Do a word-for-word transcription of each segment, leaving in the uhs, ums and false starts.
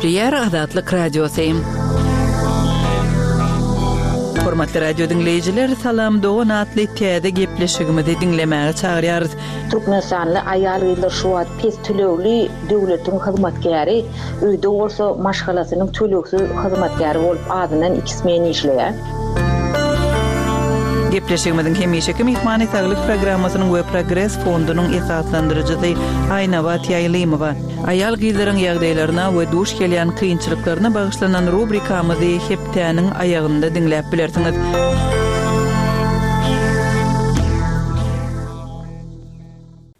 Gepleýär Azatlyk Radiosy. Hormatly radio diňleýjiler, Salam dogan atly täze gepleşigimizi diňlemäge çagyrýarys. Türkmenistanly aýal-gyzlar şu wagt pes tölegli döwletiň hyzmatkäri, öýde bolsa maşgalasynyň tölegsiz hyzmatkäri bolup azyndan iki smen işleýär. Gepleşigimiziň hemişeki myhmany saglyk programmasynyň we Progres fondunyň esaslandyryjysy Aýnabat Ýaýlymowa. Aýal gyzlaryň ýagdaýlaryna we duş gelýän kynçylyklaryna bagyşlanan rubrikamyzy hepdäniň aýagynda diňläp bilersiňiz.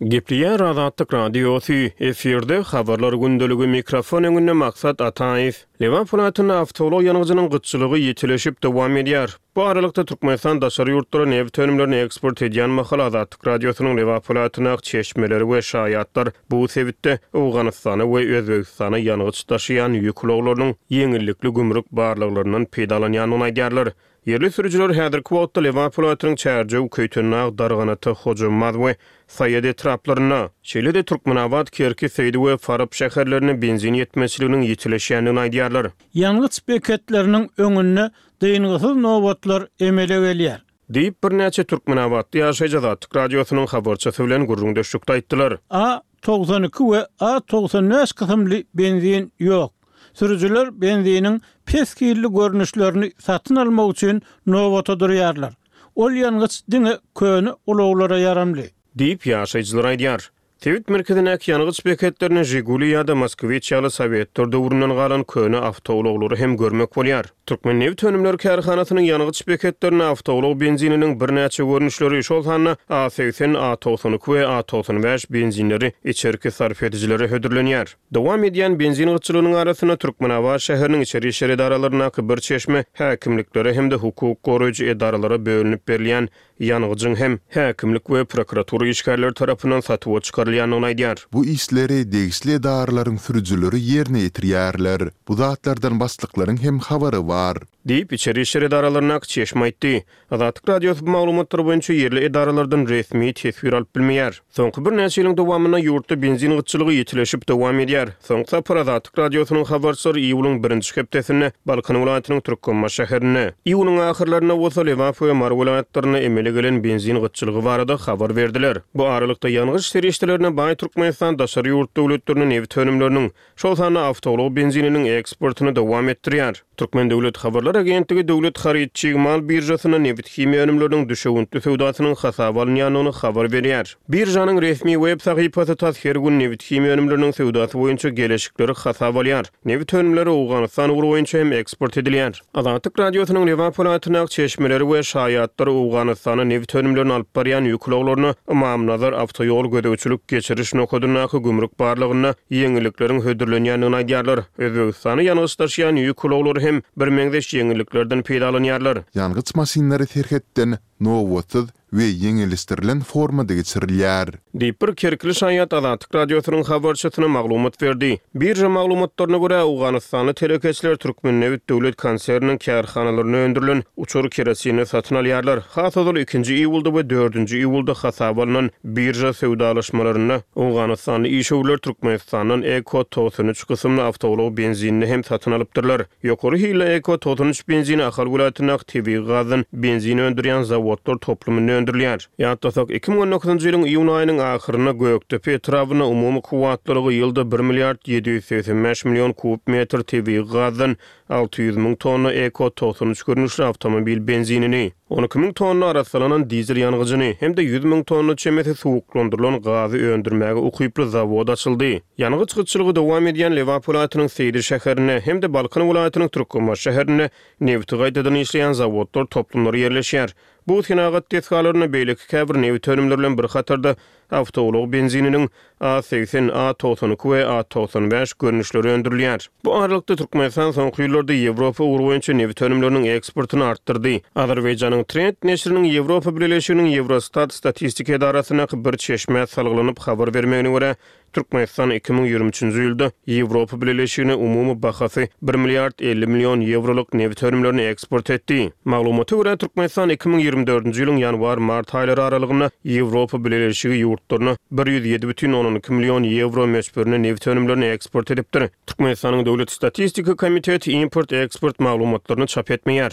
Gepleýär Azatlyk Radiosy, efirde habarlar gündeligi, mikrofon öňünde Maksat Ataýew. Lebap welaýatynda awtoulag ýangyjynyň gytçylygy ýitileşip dowam edýär. Bu aralykda Türkmenistan daşary ýurtlara nebit önümlerini eksport edýän mahal Azatlyk Radiosynyň Lebap welaýatyndaky çeşmeleri we şaýatlar bu sebitde Owganystana we Özbegistana ýangyç daşaýan ýük ulaglarynyň ýeňillikli gümrük barlaglaryndan peýdalanýandygyny aýdýarlar. Ýerli sürüjiler häzirki wagtda Lebap welaýatynyň Çärjew, Köýtendag, Darganata, Hojambaz we Saýat etraplarynda, şeýle-de Türkmenabat, Kerki, Seýdi we Farap şäherlerinde benzin ýetmezçiliginiň ýitileşýändigini aýdýarlar. Ýangyç beketleriniň öňünde dyngysyz nobatlar emele gelýär. Diýip, birnäçe türkmenabatly ýaşaýjy Azatlyk Radiosynyň habarçysy bilen gürrüňdeşlikde aýtdylar. A togsan iki we A togsan bäş kysymly benzin ýok. Sürüjiler benziniň pes hilli görnüşlerini satyn almak üçin nobata durýarlar. Ol ýangyç diňe köne ulaglara ýaramly. Diýip, ýaşaýjylar aýdýar. Sebit merkezindäki ýangyç beketlerinde Žiguli ýa-da Moskwiç ýaly sowetler döwründen galan köne awtoulaglary hem görmek bolýar. Türkmen nebit önümleri kärhanasynyň ýangyç beketlerinde awtoulag benzininiň birnäçe görnüşleri, şol sanda A segsen, A togsan iki we A togsan bäş benzinleri içerki sarp edijilere hödürlenýär. Dowam edýän benzin gytçylygynyň arasynda Türkmenabat şäheriniň içeri işler edaralaryndaky bir çeşme häkimliklere hem-de hukuk goraýjy edaralara bölünip berilýän ýangyjyň hem häkimlik we prokuratura işgärleri tarapyndan satuwa çykarylýandygyny aýdýar. Bu işleri degişli edaralaryň sürüjileri ýerine ýetirýärler. Bu zatlardan başlyklaryň hem habary bar. Diýip, içeri işler edaralaryndaky çeşme aýtdy. Azatlyk Radiosy bu maglumatlar boýunça ýerli edaralardan resmi teswir alyp bilmeýär. Soňky birnäçe ýylyň dowamynda ýurtda benzin gytçylygy ýitileşip dowam edýär. Soňky sapar Azatlyk Radiosynyň habarçylary iýulyň birinji hepdesinde Balkan welaýatynyň Türkmenbaşy şäherinde, iýunyň ahyrlarynda bolsa Lebap we Mary welaýatlarynda emele gelen benzin gytçylygy barada habar berdiler. Bu aralykda ýangyç serişdelerine baý Türkmenistan daşary ýurt döwletlerine nebit önümleriniň, şol sanda awtoulag benzininiň eksportyny dowam etdirýär. Türkmen döwlet habarlar agentligi döwlet haryt çig mal biržasynda nebit himiýa önümleriniň düşewüntli söwdasynyň hasaba alynýandygyny habar berýär. Biržanyň resmi web sahypasy tas her gün nebit himiýa önümleriniň söwdasy boýunça geleşikleri hasaba alýar. Nebit önümleri Owganystan ugry boýunça hem eksport edilýär. Azatlyk Radiosynyň Lebap welaýatyndaky çeşmeleri we şaýatlar Owganystana nebit önümlerini alyp barýan ýük ulaglaryna Ymamnazar awtoýol gözegçilik geçiriş nokadyndaky gümrük barlagynda ýeňillikleriň hödürlenýändigini aýdýarlar. Özbegistana ýangyç daşaýan ýük ulaglary hem birmeňzeş ýeňilliklerden peýdalanýarlar. Ýangyç maşynlary serhetden nobatsyz we ýeňilleşdirilen formada geçirilýär. Diýip, bir kerkili şaýat Azatlyk Radiosynyň habarçysyna maglumat berdi. Birža maglumatlaryna görä, Owganystanly telekeçiler Türkmennebit döwlet konserniniň kärhanalarynda öndürilen uçar kerosinini satyn alýarlar. Has ozal ikinji iýulda we dördünji iýulda hasaba alnan birža söwdalaşmalarynda Owganystanly işewürler Türkmenistandan Eko togsan üç kysymly awtoulag benzinini hem satyn alypdyrlar. Ýokary hilli Eko togsan üç benzini Ahal welaýatyndaky tebigy gazdan benzin öndürýän zawodlar toplumynda öndürilýär. Ýatlasak, iki müň on dokuzynjy ýylyň iýun aýynyň ahyrynda Gökdepe etrabynda umumy kuwwatlylygy ýylda bir milliard ýedi ýüz segsen bäş million kub metr tebigy gazdan alty ýüz müň tonna Eko togsan üç görnüşli awtomobil benzinini, on iki müň tonna arassalanan dizel ýangyjyny hem-de ýüz müň tonna çemesi suwuklandyrylan gazy öndürmäge ukyply zawod açyldy. Ýangyç gytçylygy dowam edýän Lebap welaýatynyň Seýdi şäherinde hem-de Balkan welaýatynyň Türkmenbaşy şäherinde nebiti gaýtadan işleýän zawodlar toplumlary ýerleşýär. Bu senagat desgalarynda beýleki käbir nebit önümleri bilen bir hatarda awtoulag benzininiň A segsen, A togsan iki we A togsan bäş görnüşleri öndürilýär. Bu aralykda Türkmenistan soňky ýyllarda Ýewropa ugry boýunça nebit önümleriniň eksportyny artdyrdy. Azerbaýjanyň Trend neşiriniň Ýewropa Bileleşiginiň Ýewrostat statistika edarasyndaky bir çeşmä salgylanyp habar bermegine görä, Türkmenistan iki müň ýigrimi üçünji ýylda Ýewropa Bileleşigine umumy bahasy bir milliard elli million ýewrolyk nebit önümlerini eksport etdi. Maglumata görä, Türkmenistan iki müň ýigrimi dördünji ýylyň ýanwar-mart aýlary aralygynda Ýewropa Bileleşigi ýurtlaryna bir ýüz ýedi bütin ondan iki million ýewro möçberinde nebit önümlerini eksport edipdir. Türkmenistanyň Döwlet statistika komiteti import-eksport maglumatlaryny çap etmeýär.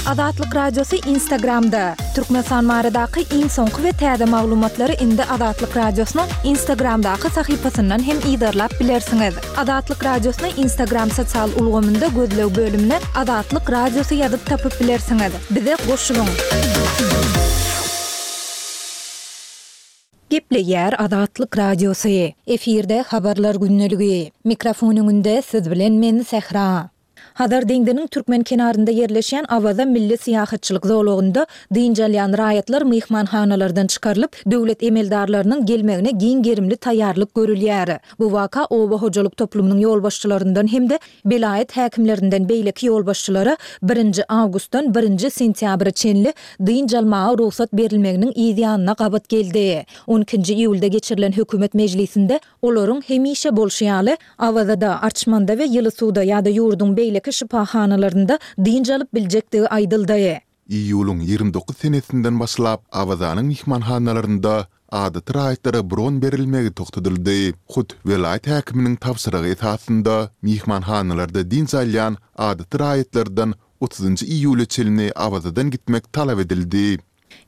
Azatlyk Radiosy Instagramda. Türkmenistan baradaky iň soňky we täze maglumatlary indi Azatlyk Radiosynyň Instagramdaky sahypasyndan hem yzarlap bilersiňiz. Azatlyk Radiosyny Instagram sosial ulgamynda gözleg bölümine Azatlyk Radiosy ýazyp tapyp bilersiňiz. Bize goşulyň! Gepleýär Azatlyk Radiosy. Efirde Habarlar gündeligi. Mikrofon öňünde siz bilen men Sähra. Hazar deňziniň türkmen kenarynda ýerleşýän Awaza milli syýahatçylyk zolagynda dynç alýan raýatlar myhmanhanalardan çykarylyp, döwlet emeldarlarynyň gelmegine giň gerimli taýýarlyk görülýär. Bu waka oba hojalyk toplumynyň ýolbaşçylaryndan hem-de welaýat häkimlerinden beýleki ýolbaşçylara birinji awgustdan birinji sentýabra çenli dynç almaga rugsat berilmeginiň yz ýanyna gabat geldi. On ikinji iýulda geçirilen hökümet mejlisinde olaryň hemişe bolşy ýaly, Awazada, Arçmanda we Ýyly suwda ýa-da ýurduň beýleki şypahanalarynda dynç alyp biljekdigi aýdyldy. Iýulyň ýigrimi dokuz senesinden başlap, Awazanyň myhmanhanalarynda adaty raýatlara bron berilmegi togtadyldy. Hut welaýat häkiminiň tabşyrygy esasynda myhmanhanalarda dynç alýan adaty raýatlardan otuzynjy iýula çenli Awazadan gitmek talap edildi.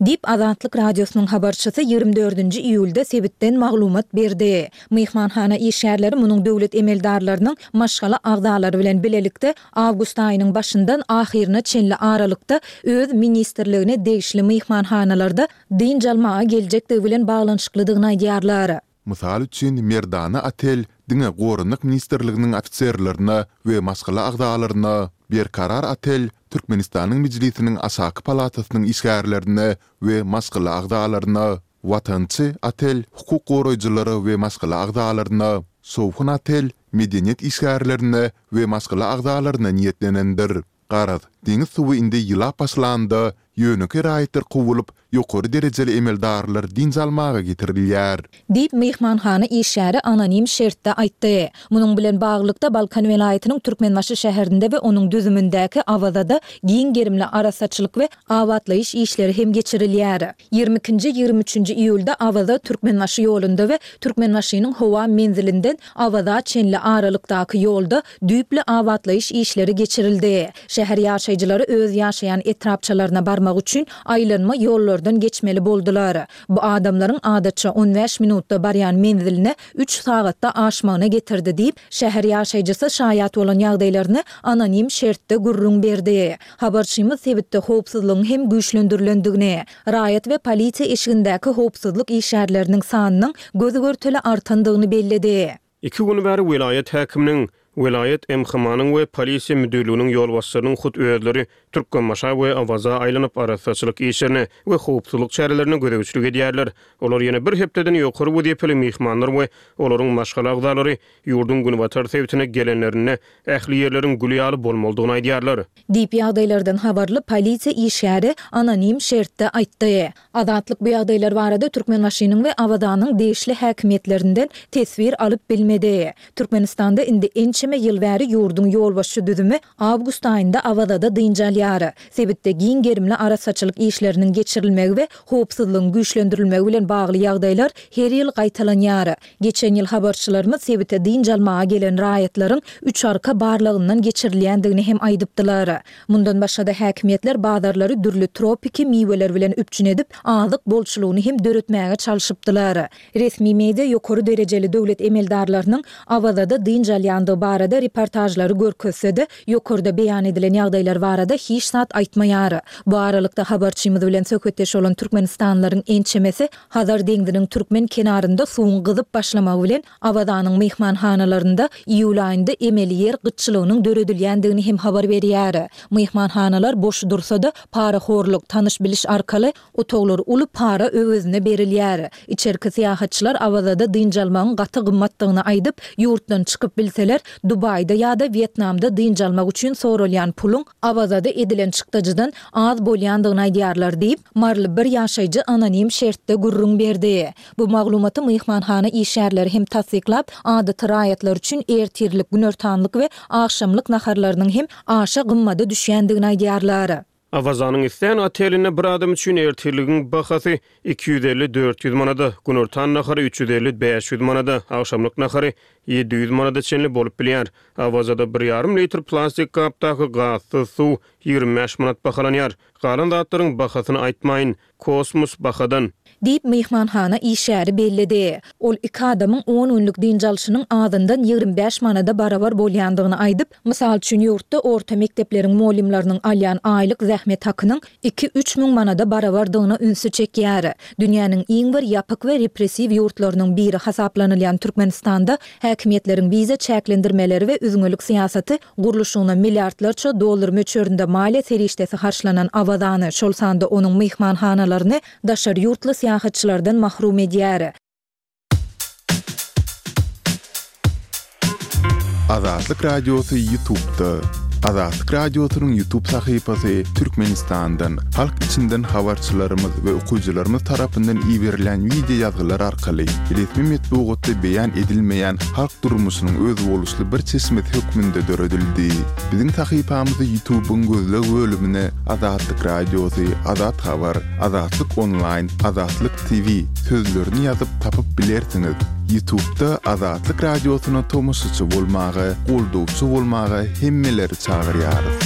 Diýip, Azatlyk Radiosynyň habarçysy ýigrimi dördünji iýulda sebitden maglumat berdi. Myhmanhana işgärleri munuň döwlet emeldarlarynyň maşgala agzalary bilen bilelikde awgust aýynyň başyndan ahyryna çenli aralykda öz ministrligine degişli myhmanhanalarda dynç almaga geljekdigi bilen baglanyşyklydygyny aýdýarlar. Mysal üçin, Merdana otel diňe Goranmak ministrliginiň ofiserlerine we maşgala agzalaryna, Berkarar otel Türkmenistanyň Mejlisiniň aşaky palatasynyň işgärlerine we maşgala agzalaryna, Watançy otel hukuk goraýjylara we maşgala agzalaryna, Şowhun otel medeniýet işgärlerine we maşgala agzalaryna niýetlenendir. Garaz, deňiz suwy indi ýylap başlanda, ýönekeý raýatlar kowulyp, ýokary derejeli emeldarlar dynç almaga getirilýär. Diýip, myhmanhana işgäri anonim şertde aýtdy. Munuň bilen baglylykda, Balkan welaýatynyň Türkmenbaşy şäherinde we onuň düzümindäki Awazada giň gerimli arassaçylyk we abatlaýyş işleri hem geçirilýär. Ýigrimi ikinji, ýigrimi üçünji iýulda Awaza, Türkmenbaşy ýolunda we Türkmenbaşynyň howa menzilinden Awaza çenli aralykdaky ýolda düýpli abatlaýyş işleri geçirildi. Şäher ýaşaýjylary öz ýaşaýan etrapçalaryna barmak üçin aýlanma ýollardan geçmeli boldular. Bu adamlaryň adatça on bäş minutda barýan menziline üç sagatda aşmagyna getirdi diýip, şäher ýaşaýjysy şaýat bolan ýagdaýlaryny anonim şertde gürrüň berdi. Habarçymyz sebitde howpsuzlygyň hem güýçlendirilendigini, raýat we polisiýa eşigindäki howpsuzlyk işgärleriniň sanynyň göz-görtele artandygyny belledi. Iki gün bäri welaýat häkiminiň, welaýat M H M-nyň we polisiýa müdirliginiň ýolbaşçylarynyň hut özleri Türkmenbaşa we Awaza aýlanyp arassaçylyk işlerine we howpsuzlyk çärelerine gözegçilik edýärler. Olar ýene bir hepdeden ýokary wezipeli myhmanlar we olaryň maşgala agzalary ýurduň günbatar sebitine gelenlerinde ähli ýerleriň gül ýaly bolmalydygyny aýdýarlar. Diýip, ýagdaýlardan habarly polisiýa işgäri anonim şertde aýtdy. Azatlyk bu ýagdaýlar barada Türkmenbaşynyň we Awazanyň degişli häkimiýetlerinden teswir alyp bilmedi. Türkmenistanda indi ençeme ýyl bäri ýurduň ýolbaşçy düzümi awgust aýynda Awazada dynç alýar. Sebitde giň gerimli arassaçylyk işleriniň geçirilmegi we howpsuzlygyň güýçlendirilmegi bilen bagly ýagdaýlar her ýyl gaýtalanýar. Geçen ýyl habarçylarymyz sebite dynç almaga gelen raýatlaryň üç arka barlagyndan geçirilýändigini hem aýdypdylar. Mundan başga-da häkimiýetler bazarlary dürli tropiki miweler bilen üpjün edip, azyk bolçulygyny hem döretmäge çalşypdylar. Resmi media ýokary derejeli döwlet emeldarlarynyň Awazada dynç alýandygy barada reportažlary görkezse-de, ýokarda beýan edilen ýagdaýlar barada hiç zat aýtmaýar. Bu aralykda habarçymyz bilen söhbetdeş bolan türkmenistanlylaryň ençemesi Hazar deňziniň türkmen kenarynda suwuň gyzyp başlamagy bilen Awazanyň myhmanhanalarynda iýul aýynda emeli ýer gytçylygynyň döredilýändigini hem habar berýär. Myhmanhanalar boş dursa-da, parahorluk, tanyş-biliş arkaly otaglar uly para öwezine berilýär. Içerki syýahatçylar Awazada dynç almagyň gaty gymmatdygyny aýdyp, ýurtdan çykyp bilseler, Dubaýda ýa-da Wýetnamda dynç almak üçin soralýan puluň Awazada edilen çykdajydan az bolýandygyny aýdýarlar diýip, maryly bir ýaşaýjy anonim şertde gürrüň berdi. Bu maglumaty myhmanhana işgärleri hem tassyklap, adaty raýatlar üçin ertirlik, günortanlyk we agşamlyk naharlarynyň hem aşa gymmada düşýändigini aýdýarlar. Awazanyň islän otelinde bir adam üçin ertirligiň bahasy iki ýüz elli-dört ýüz manada, günortan nahary üç ýüz elli-bäş ýüz manada, agşamlyk nahary ýedi ýüz manada çenli bolup bilýär. Awazada bir ýarym litr plastik gapdaky gazsyz suw ýigrimi bäş manat bahalanýar. Galan zatlaryň bahasyny aýtmaýyn. Kosmos bahadan. Diýip, myhmanhana işgäri belledi. Ol iki adamyň on günlük dynç alşynyň azyndan ýigrimi bäş manada barabar bolýandygyny aýdyp, mysal üçin, ýurtda orta mekdepleriň mugallymlarynyň alýan aýlyk zähmet hakynyň iki-üç müň manada barabardygyna ünsi çekýär. Dünýäniň iň bir ýapyk we repressiw ýurtlarynyň biri hasaplanylýan Türkmenistanda häkimiýetleriň wiza çäklendirmeleri we üzňelik syýasaty gurluşygyna milliardlarça dollar möçberinde maliýe serişdesi harçlanan Awazany, şol sanda onuň myhmanhanalaryny daşary ýurtly syýahatçylardan mahrum edýär. Azatlyk Radiosy YouTube'da. Azatlyk Radiosynyň YouTube sahypasy Türkmenistandan, halk içinden habarçylarymyz we okyjylarymyz tarapyndan iberilen wideo ýazgylar arkaly resmi metbugatda beýan edilmeýän halk durmuşynyň özboluşly bir çeşmesi hökmünde döredildi. Biziň sahypamyzy YouTube'yň gözleg bölümine Azatlyk Radiosy, Azat Habar, Azatlyk Onlaýn, Azatlyk T V sözlerini ýazyp tapyp bilersiňiz. YouTube'da Azatlyk Radiosyna tomaşaçy bolmaga, goldawçy bolmaga hemmeleri çagyrýarys.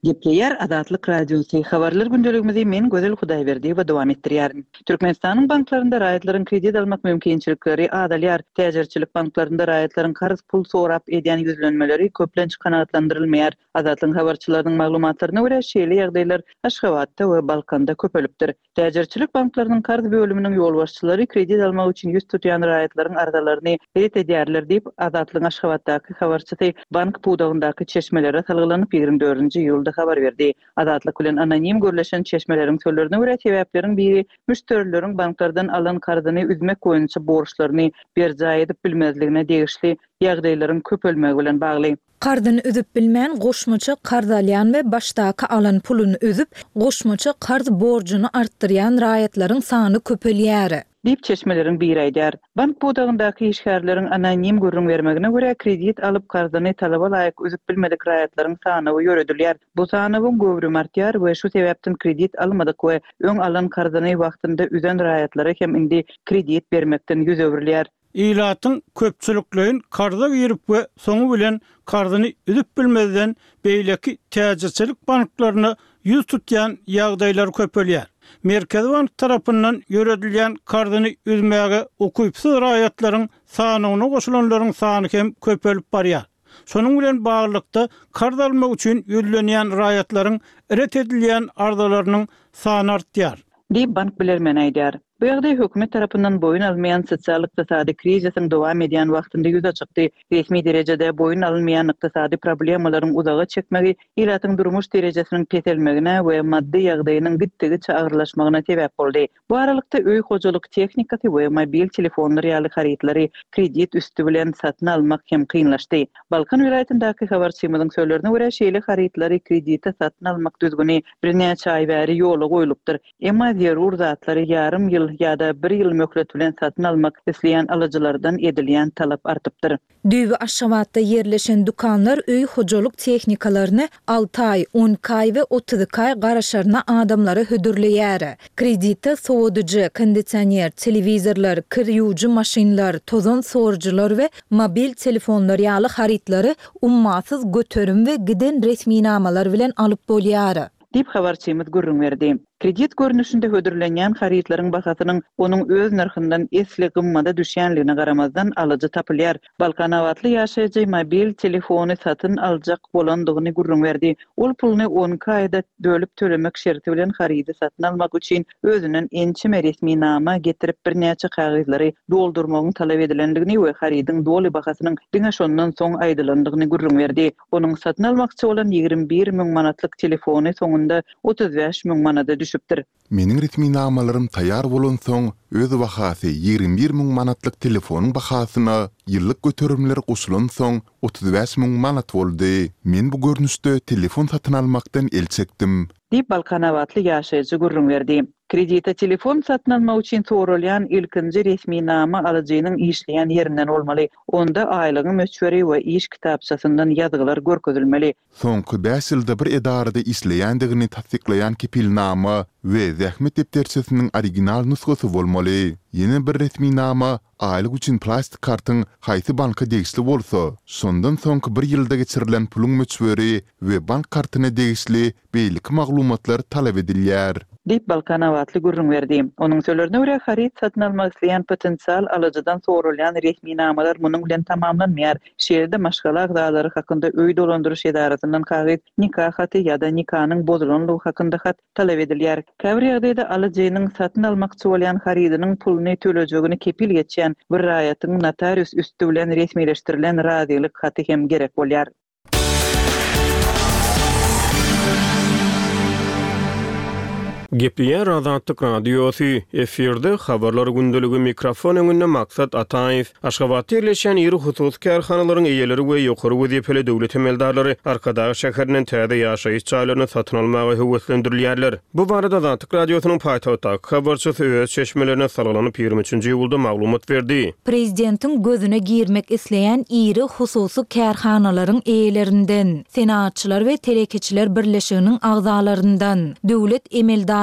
Gepleýär Azatlyk Radiosy. Habarlar gündeligimizi men Gözel Hudaýberdiýewa dowam etdirýärin. Türkmenistanyň banklarynda raýatlaryň kredit almak mümkinçilikleri azalýar. Täjirçilik banklarynda raýatlaryň karz pul sorap edýän ýüzlenmeleri köplenç kanagatlandyrylmaýar. Azatlygyň habarçylarynyň maglumatlaryna görä şeýle ýagdaýlar Aşgabatda we Balkanda köpelipdir. Täjirçilik banklarynyň karz bölüminiň ýolbaşçylary kredit almak üçin ýüz tutýan raýatlaryň arzalaryny ret edýärler diýip, Azatlygyň Aşgabatdaky habarçysy bank pudagyndaky çeşmelere salgylanyp ýigrimi dördünji iýulda habar berdi. Azatlyk bilen anonim gürleşen çeşmeleriň sözlerine görä sebäpleriň biri müşderileriň banklardan alan karzyny üzmek boýunça borçlaryny berjaý edip bilmezligine degişli ýagdaýlaryň köpelmegi bilen bagly. Karzyny üzüp bilmän goşmaça karz alýan we başdaky alan puluny üzüp, goşmaça karz borjuny artdyrýan raýatlaryň sany köpelýär. Diýip çeşmeleriň biri aýdar. Bank pudagyndaky işgärleriň anonim gürrüň bermegine görä kredit alyp karzyny talaba laýyk üzüp bilmedik raýatlaryň sanawy ýöredilýär. Bu sanawyň göwrümi artýar we şu sebäpden kredit almadyk we öň alan karzyny wagtynda üzen raýatlara hem indi kredit bermekden ýüz öwrülýär. Ilatyň köpçülikleýin karza girip we soňy bilen karzyny üzüp bilmezden beýleki täjirçilik banklaryna ýüz tutýan ýagdaýlar köpelýär. Merkezi bank tarapyndan ýöredilýän karzyny üzmäge ukypsyz raýatlaryň sanyna goşulanlaryň sany hem köpelip barýar. Şonuň bilen baglylykda karz almak üçin ýüzlenýän raýatlaryň ret edilýän arzalarynyň sany artýar. Diýip bank bilermeni aýdar. Bu ýagdaý hökümet tarapyndan boýun almaýan sosial-ykdysady krizisiň dowam edýän wagtynda ýüze çykdy. Resmi derejede boýun alynmaýan ykdysady problemalaryň uzaga çekmegi ilatyň durmuş derejesiniň peselmegine we maddy ýagdaýynyň gitdigiçe agyrlaşmagyna sebäp boldy. Bu aralykda öý hojalyk tehnikasy we mobil telefonlar ýaly harytlary kredit üstü bilen satyn almak hem kynlaşdy. Balkan welaýatyndaky habarçymyzyň sözlerine görä şeýle harytlary kredite satyn almak düzgüni birnäçe aý bäri ýola goýlupdyr. Emma zerur zatlary ýarym ýyl ýa-da bir ýyl möhlet bilen satyn almak isleýän alyjylardan edilýän talap artypdyr. Düýbi Aşgabatda ýerleşen dükanlar öý hojalyk tehnikalaryny alty aý, on iki aý we otuz iki aý garaşaryna adamlara hödürleýär. Kredite sowadyjy, kondisioner, telewizorlar, kir ýuwujy maşynlar, tozan sorujylar we mobil telefonlar ýaly harytlary ummasyz göterim we giden resminamalar bilen alyp bolýar. Diýip habarçymyz gürrüň berdi. Kredit görnüşinde hödürlenýän harytlaryň bahasynyň onuň öz nyrhyndan esli gymmada düşýänligine garamazdan alyjy tapylýar. Balkanabatly ýaşaýjy mobil telefony satyn aljak bolandygyny gürrüň berdi. Ol puluny on iki aýda bölüp tölemek şerti bilen harydy satyn almak üçin özünden ençeme resminama getirip birnäçe kagyzlary doldurmagyň talap edilendigini we harydyň doly bahasynyň diňe şondan soň aýdylandygyny gürrüň berdi. Onuň satyn almakçy bolan ýigrimi bir müň manatlyk telefony soňunda otuz bäş müň manada düşdi. düşüpdir. Meniň resminamalarym taýýar bolansoň, öz bahasy ýigrimi bir müň manatlyk telefonyň bahasyna ýyllyk göterimler goşulansoň, otuz bäş müň manat boldy. Men bu görnüşde telefon satyn almakdan el çekdim. Diýip, balkanabatly ýaşaýjy gürrüň berdi. Kredite telefon satyn almak üçin soralýan ilkinji resminama alyjynyň işleýän ýerinden bolmaly. Onda aýlygyň möçberi we iş kitapçasyndan ýazgylar görkezilmeli. Soňky bäş ýylda bir edarada işleýändigini tassyklaýan kepilnama we zähmet depderçesiniň original nusgasy bolmaly. Ýene bir resminama aýlyk üçin plastik kartyň haýsy banka degişli bolsa, şondan soňky bir ýylda geçirilen puluň möçberi we bank kartyna degişli beýleki maglumatlar talap edilýär. Diýip, balkanabatly gürrüň berdi. Onuň sözlerine görä, haryt satyn almak isleýän potensial alyjydan soralýan resminamalar munuň bilen tamamlanmaýar. Şeýle-de maşgala agzalary hakynda öý dolandyryş edarasyndan kagyz, nika haty ýa-da nikanyň bozulanlygy hakynda hat talap edilýär. Käbir ýagdaýda alyjynyň satyn almakçy bolýan harydynyň puluny tölejegini kepil geçýän bir raýatyň notarius üsti bilen resmileşdirilen razylyk haty hem gerek bolýar. Gepleýär Azatlyk Radiosy, efirde Habarlar gündeligi, mikrofon öňünde Maksat Ataýew. Aşgabatda ýerleşýän iri hususy kärhanalaryň eýeleri we ýokary wezipeli döwlet emeldarlary Arkadag şäherinden täze ýaşaýyş jaýlaryny satyn almaga höweslendirilýärler. Bu barada Azatlyk Radiosynyň paýtagtdaky habarçysy öz çeşmelerine salgylanyp ýigrimi üçünji iýulda maglumat berdi. Prezidentiň gözüne girmek isleýän iri hususy kärhanalaryň eýelerinden, Senagatçylar we telekeçiler birleşiginiň agzalaryndan, döwlet emeldarlaryndan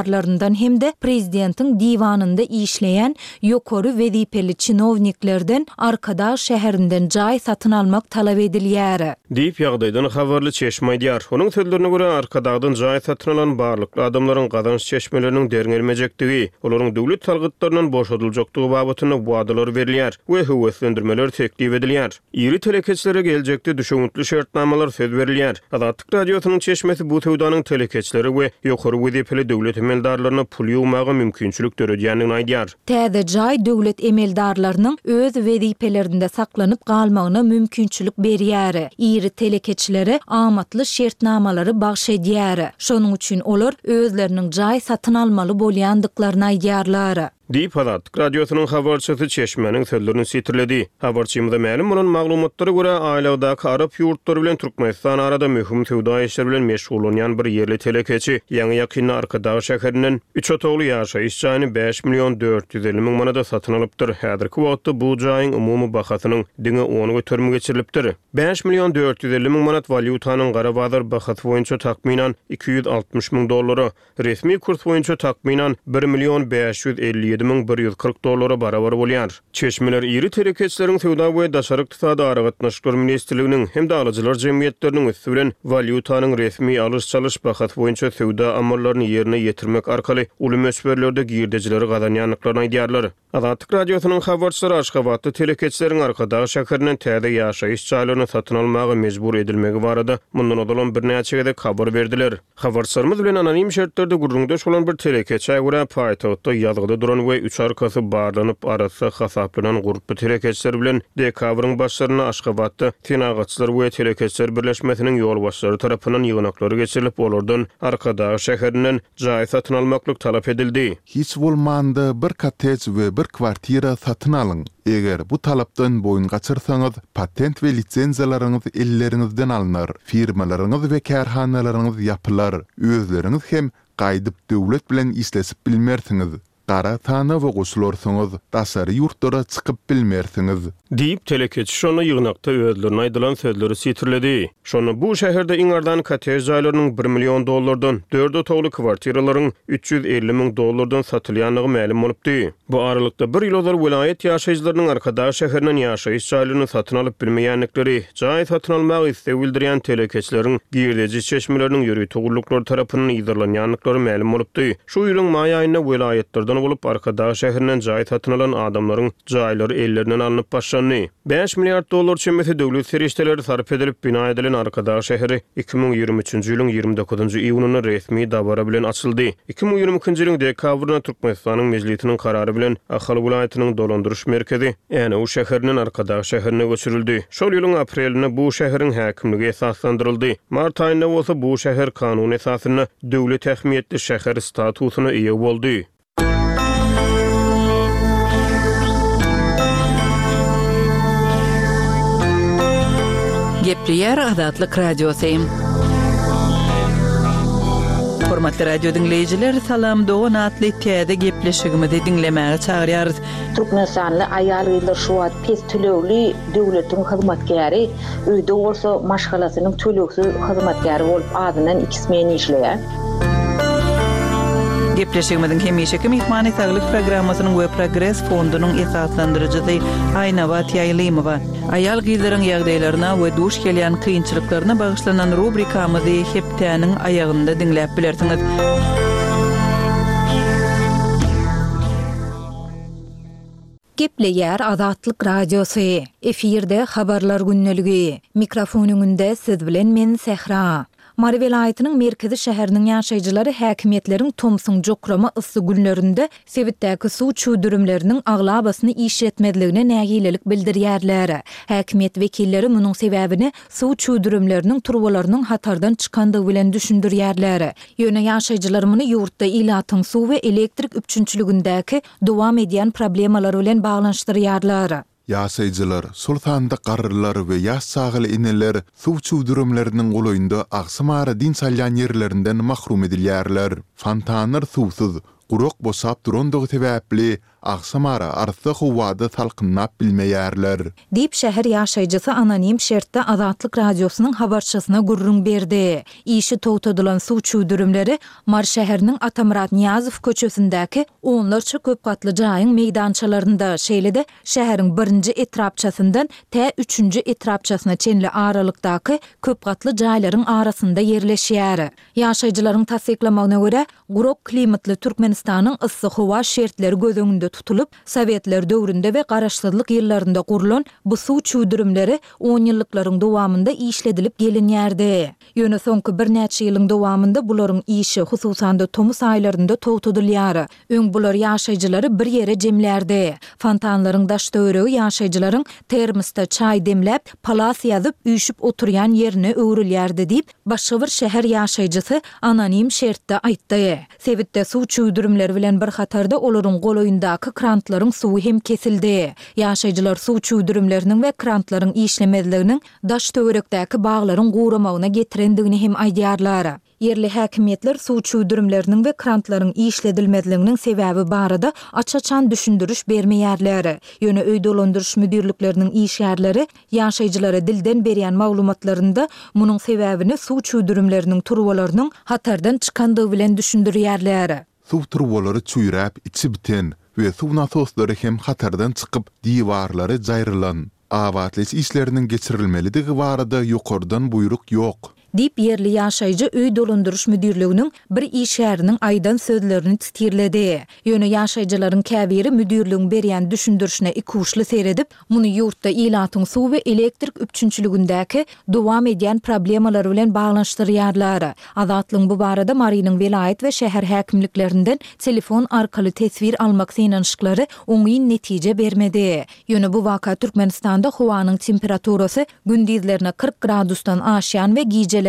hem-de prezidentiň diwanynda işleýän ýokary wezipeli çinowniklerden Arkadag şäherinden jaý satyn almak talap edilýär. Diýip, ýagdaýdan habarly çeşme aýdýar. Onuň sözlerine görä, Arkadagdan jaý satyn alan barlykly adamlaryň gazanç çeşmeleriniň derňelmejekdigi, olaryň döwlet salgytlaryndan boşadyljakdygy babatynda wadalar berilýär we höweslendirmeler teklip edilýär. Iri telekeçilere geljekde düşewüntli şertnamalar söz berilýär. Azatlyk Radiosynyň çeşmesi bu söwdanyň telekeçilere we ýokary wezipeli döwlet emeldarlaryna pul ýygmaga mümkinçilik döredýändigini aýdýar. Täze jaý döwlet emeldarlarynyň öz wezipelerinde saklanyp galmagyna mümkinçilik berýär, iri telekeçilere amatly şertnamalary bagyş edýär. Şonuň üçin olar özleriniň jaý satyn almaly bolýandyklaryny aýdýarlar. Diýip, Azatlyk Radiosynyň habarçysy çeşmäniň sözlerini sitirledi. Habarçymyza mälim bolan maglumatlara görä, aýlagdaky arap ýurtlary bilen Türkmenistan arada möhüm söwda işleri bilen meşgullanýan bir ýerli telekeçi ýaňy-ýakynda Arkadag şäherinden üç otagly ýaşaýyş jaýyny bäş million dört ýüz elli müň manada satyn alypdyr. Häzirki wagtda bu jaýyň umumy bahasynyň diňe on göterimi geçirilipdir. Bäş million dört ýüz elli müň manat walýutanyň gara bazar bahasy boýunça takmynan iki ýüz altmyş müň dollara, resmi kurs boýunça takmynan bir million bäş ýüz elli ýedi müň bir ýüz kyrk dollara barabar bolýar. Çeşmeler iri telekeçileriň Söwda we daşary ykdysady aragatnaşyklar ministrliginiň hem-de alyjylar jemgyýetleriniň üsti bilen walýutanyň resmi alyş-çalyş bahasy boýunça söwda amallaryny ýerine ýetirmek arkaly uly möçberlerde girdejileri gazanýandyklaryny aýdýarlar. Azatlyk Radiosynyň habarçylary Aşgabatda telekeçileriň Arkadag şäherinden täze ýaşaýyş jaýlaryny satyn almaga mejbur edilmegi barada mundan ozalam birnäçe gezek habar berdiler. Habarçylarymyz bilen anonim şertlerde gürrüňdeş bolan bir telekeçä görä, paýtagtda ýazgyda duran we üç arkasy barlanyp arassa hasaplanan gurply telekeçiler bilen dekabryň başlarynda Aşgabatda Senagatçylar we telekeçiler birleşmesiniň ýolbaşçylary tarapyndan ýygnaklary geçirilip, olardan Arkadag şäherinden jaý satyn almaklyk talap edildi. Hiç bolmanda bir kottej we bir kwartira satyn alyň. Eger bu talapdan boýun gaçyrsaňyz, patent we lisenziýalaryňyz elleriňizden alnar, firmalaryňyz we kärhanalaryňyz ýapylar, özleriňiz hem gaýdyp döwlet bilen işleşip bilmersiňiz. Gara sanawa goşularsyňyz, daşary ýurtlara çykyp bilmersiňiz. Diýip, telekeçi şonda ýygnakda özlerine aýdylan sözleri sitirledi. Şonda bu şäherde iň arzan kottej jaýlarynyň bir million dollardan, dört otagly kwartiralaryň üç ýüz elli müň dollardan satylýandygy mälim bolupdy. Bu aralykda bir ýyl ozal welaýat ýaşaýjylarynyň Arkadag şäherinden ýaşaýyş jaýlaryny satyn alyp bilmeýändikleri, jaý satyn almaga isleg bildirýän telekeçileriň girdeji çeşmeleriniň ýörite gulluklary tarapyndan yzarlanýandyklary mälim bolupdy. Şu ýylyň maý aýynda welaýatlardan Baştutan bolup, Arkadag şäherinden jaý satyn alan adamlaryň jaýlary ellerinden alnyp başlandy. Bäş milliard dollar çemesi döwlet serişdeleri sarp edilip bina edilen Arkadag şäheri iki müň ýigrimi üçünji ýylyň ýigrimi dokuzynjy iýunynda resmi dabara bilen açyldy. Iki müň ýigrimi ikinji ýylyň dekabrynda Türkmenistanyň Mejlisiniň karary bilen Ahal welaýatynyň dolandyryş merkezi Änew şäherinden Arkadag şäherine göçürildi. Şol ýylyň aprelinde bu şäheriň häkimligi esaslandyryldy. Mart aýynda bolsa bu şäher kanun esasynda döwlet ähmiýetli şäher statusyna eýe boldy. Gepleýär Azatlyk Radiosy. Hormatly radio diňleýjiler, Salam Dogan atly täze gepleşigimizi diňlemäge çagyrýarys. Türkmenistanly aýal-gyzlar şu wagt pes tölegli döwletiň hyzmatkäri, öýde bolsa maşgalasynyň tölegsiz hyzmatkäri bolup azyndan iki smen işleýär. Gepleşigimiziň hemişeki myhmany Saglyk programmasynyň we Progres fondunyň esaslandyryjysy Aýnabat Ýaýlymowa. Aýal-gyzlaryň ýagdaýlaryna we duş gelýän kynçylyklaryna bagyşlanan rubrikamyzy hepdäniň aýagynda diňläp bilersiňiz. Gepleýär Azatlyk Radiosy. Efirde habarlar gündeligi. Mikrofon öňünde siz bilen men Sehra. Mary welaýatynyň merkezi şäheriniň ýaşaýjylary häkimiýetleriň tomsuň jokrama yssy günlerinde sebitdäki suw çüwdürimleriniň aglabasyny işletmezligine nägilelik bildirýärler. Häkimiýet wekilleri munuň sebäbini suw çüwdürimleriniň turbalarynyň hatardan çykandygy bilen düşündirýärler. Ýöne ýaşaýjylar muny ýurtda ilatyň suw we elektrik üpjünçiligindäki dowam edýän problemalar bilen baglanyşdyrýarlar. Ýaşaýjylar, şol sanda garrylar we ýaş çagaly eneler suw çüwdürimleriniň golaýynda agşamara dynç alýan ýerlerinden mahrum edilýärler. Fontanlar suwsuz, gurak boşap durandygy sebäpli agşamara arassa howada salkynlap bilmeýärler. Diýip, şäher ýaşaýjysy anonim şertde Azatlyk Radiosynyň habarçysyna gürrüň berdi. Işi togtadylan suw çüwdürimleri Mary şäheriniň Atamyrat Nyýazow köçesindäki onlarça köp gatly jaýyň meýdançalarynda, şeýle-de şäheriň birinji etrapçasyndan tä üçünji etrapçasyna çenli aralykdaky köp gatly jaýlaryň arasynda ýerleşýär. Ýaşaýjylaryň tassyklamagyna görä, gurak klimatly Türkmenistanyň yssy howa şertleri göz öňünde tutulyp, Sowetler döwründe we Garaşsyzlyk ýyllarynda gurlan bu suw çüwdürimleri onýyllyklaryň dowamynda işledilip gelinýärdi. Ýöne soňky birnäçe ýylyň dowamynda bularyň işi, hususan-da tomus aýlarynda togtadylýar. Öň bular ýaşaýjylary bir ýere jemlärdi. Fontanlaryň daş-töweregi ýaşaýjylaryň termosda çaý demläp, palas ýazyp, üýşüp oturýan ýerine öwrülýärdi diýip, başga bir şäher ýaşaýjysy anonim şertde aýtdy. Sebitde suw çüwdürimleri bilen bir hatarda olaryň golaýyndaky krantlaryň suwy hem kesildi. Ýaşaýjylar suw çüwdürimleriniň we krantlaryň işlemezliginiň daş-töwerekdäki baglaryň guramagyna getirendigini hem aýdýarlar. Ýerli häkimiýetler suw çüwdürimleriniň we krantlaryň işledilmezliginiň sebäbi barada aç-açan düşündiriş bermeýärler. Ýöne öý dolandyryş müdirlikleriniň işgärleri ýaşaýjylara dilden berýän maglumatlarynda munuň sebäbini suw çüwdürimleriniň turbalarynyň hatardan çykandygy bilen düşündirýärler. Suw turbalary çüýräp, içi biten we suw nasoslary hem hatardan çykyp, diwarlary jaýrylan. Abatlaýyş işleriniň geçirilmelidigi barada ýokardan buýruk ýok. Diýip, ýerli ýaşaýjy öý dolandyryş müdirliginiň bir işgäriniň aýdan sözlerini titirledi. Ýöne ýaşaýjylaryň käbiri müdirligiň berýän düşündirişine ikuçly seredip, muny ýurtda ilatyň suw we elektrik üpjünçiligindäki dowam edýän problemalar bilen baglanyşdyrýarlar. Azatlygyň bu barada Marynyň welaýat we şäher häkimliklerinden telefon arkaly teswir almak synanyşyklary oňyn netije bermedi. Ýöne bu waka Türkmenistanda howanyň temperaturasy gündizlerine kyrk gradusdan aşýan we gijelerine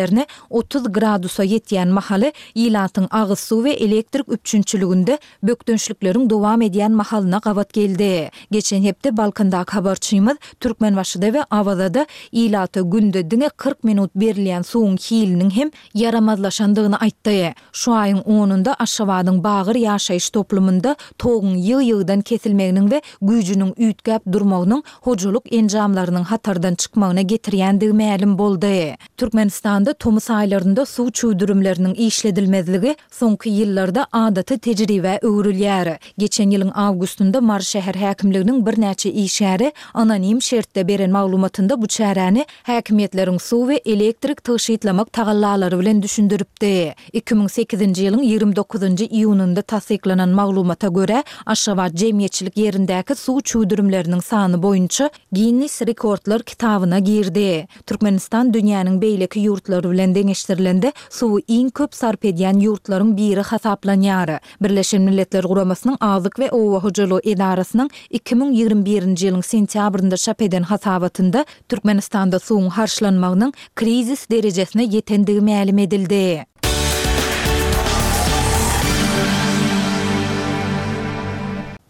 otuz gradusa ýetýän mahaly ilatyň agyz suw we elektrik üpjünçiliginde bökdençlikleriň dowam edýän mahalyna gabat geldi. Geçen hepde Balkandaky habarçymyz Türkmenbaşyda we Awazada ilata günde diňe kyrk minut berilýän suwuň hiliniň hem ýaramazlaşandygyny aýtdy. Şu aýyň onunda Aşgabadyň Bagyr ýaşaýyş toplumynda toguň ýygy-ýygydan kesilmeginiň we güýjüniň üýtgäp durmagynyň hojalyk enjamlarynyň hatardan çykmagyna getirýändigi mälim boldy. Türkmenistanda Türkmenistanda tomus aýlarynda suw çüwdürimleriniň işledilmezligi soňky ýyllarda adaty tejribä öwrülýär. Geçen ýylyň awgustynda Mary şäher häkimliginiň birnäçe işgäri anonim şertde beren maglumatynda bu çäräni häkimiýetleriň suw we elektrik tygşytlamak tagallalary bilen düşündiripdi. Iki müň sekizinji ýylyň ýigrimi dokuzynjy iýunynda tassyklanan maglumata görä, Aşgabat jemgyýetçilik ýerindäki suw çüwdürimleriniň sany boýunça Ginnis rekordlar kitabyna girdi. Türkmenistan dünýäniň beýleki ýurtlary bilen deňeşdirilende suwy iň köp sarp edýän ýurtlaryň biri hasaplanýar. Birleşen Milletler Guramasynyň Azyk we oba hojalygy edarasynyň iki müň ýigrimi birinji ýylyň sentýabrynda çap eden hasabatynda Türkmenistanda suwuň harçlanmagynyň krizis derejesine ýetendigi mälim edildi.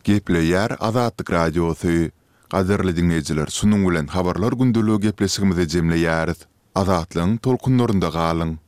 Gepleýär Azatlyk Radiosy. Gadyrly diňleýjiler, şunuň bilen Habarlar gündeligi gepleşigimizi jemleýäris. Azatlygyň tolkunlarynda galyň!